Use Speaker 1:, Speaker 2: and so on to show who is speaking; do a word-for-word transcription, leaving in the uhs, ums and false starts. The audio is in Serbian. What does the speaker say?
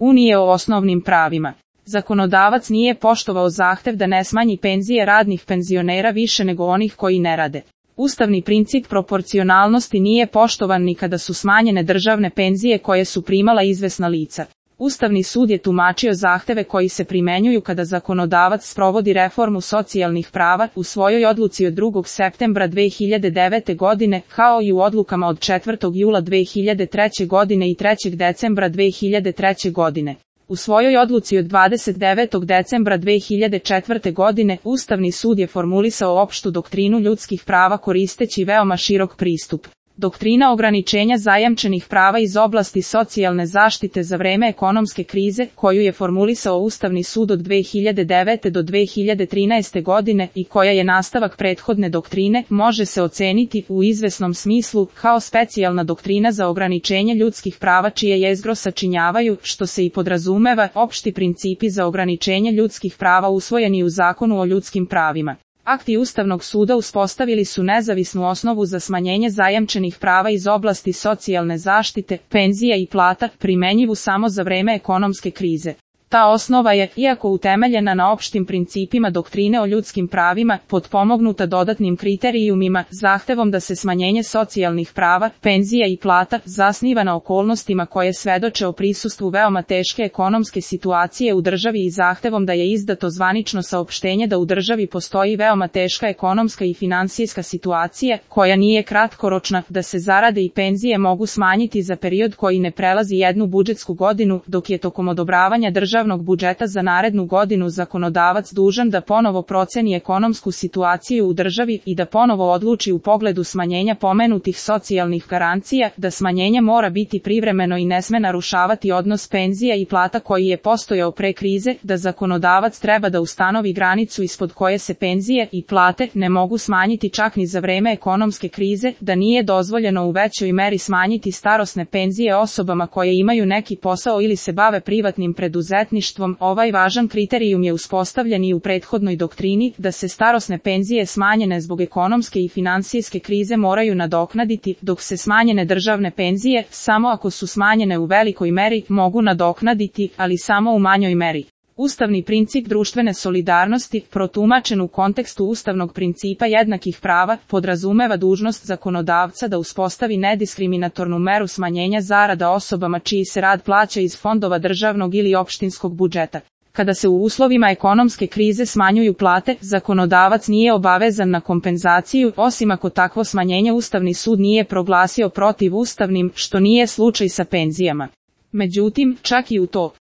Speaker 1: Unije o osnovnim pravima. Zakonodavac nije poštovao zahtev da ne smanji penzije radnih penzionera više nego onih koji ne rade. Ustavni princip proporcionalnosti nije poštovan ni kada su smanjene državne penzije koje su primala izvesna lica. Ustavni sud je tumačio zahteve koji se primenjuju kada zakonodavac sprovodi reformu socijalnih prava u svojoj odluci od drugog septembra dve hiljade devete godine, kao i u odlukama od četvrtog jula dve hiljade treće godine i trećeg decembra dve hiljade treće godine. U svojoj odluci od dvadeset devetog decembra dve hiljade četvrte. godine Ustavni sud je formulisao opštu doktrinu ljudskih prava koristeći veoma širok pristup. Doktrina ograničenja zajamčenih prava iz oblasti socijalne zaštite za vreme ekonomske krize, koju je formulisao Ustavni sud od dve hiljade devete. do dve hiljade trinaeste. godine i koja je nastavak prethodne doktrine, može se oceniti u izvesnom smislu kao specijalna doktrina za ograničenje ljudskih prava čije jezgro sačinjavaju, što se i podrazumeva, opšti principi za ograničenje ljudskih prava usvojeni u Zakonu o ljudskim pravima. Akti Ustavnog suda uspostavili su nezavisnu osnovu za smanjenje zajamčenih prava iz oblasti socijalne zaštite, penzija i plata, primenjivu samo za vreme ekonomske krize. Ta osnova je, iako utemeljena na opštim principima doktrine o ljudskim pravima, potpomognuta dodatnim kriterijumima, zahtevom da se smanjenje socijalnih prava, penzija i plata zasniva na okolnostima koje svedoče o prisustvu veoma teške ekonomske situacije u državi i zahtevom da je izdato zvanično saopštenje da u državi postoji veoma teška ekonomska i finansijska situacija, koja nije kratkoročna, da se zarade i penzije mogu smanjiti za period koji ne prelazi jednu budžetsku godinu, dok je tokom odobravanja državnog budžeta za narednu godinu zakonodavac dužan da ponovo proceni ekonomsku situaciju u državi i da ponovo odluči u pogledu smanjenja pomenutih socijalnih garancija, da smanjenje mora biti privremeno i ne sme narušavati odnos penzija i plata koji je postojao pre krize, da zakonodavac treba da ustanovi granicu ispod koje se penzije i plate ne mogu smanjiti čak ni za vreme ekonomske krize, da nije dozvoljeno u većoj meri smanjiti starosne penzije osobama koje imaju neki posao ili se bave privatnim preduzetništvom. Ovaj važan kriterijum je uspostavljen i u prethodnoj doktrini, da se starosne penzije smanjene zbog ekonomske i finansijske krize moraju nadoknaditi, dok se smanjene državne penzije, samo ako su smanjene u velikoj meri, mogu nadoknaditi, ali samo u manjoj meri. Ustavni princip društvene solidarnosti, protumačen u kontekstu ustavnog principa jednakih prava, podrazumeva dužnost zakonodavca da uspostavi nediskriminatornu meru smanjenja zarada osobama čiji se rad plaća iz fondova državnog ili opštinskog budžeta. Kada se u uslovima ekonomske krize smanjuju plate, zakonodavac nije obavezan na kompenzaciju, osim ako takvo smanjenje Ustavni sud nije proglasio protivustavnim, što nije slučaj sa penzijama. Međutim, čak i u to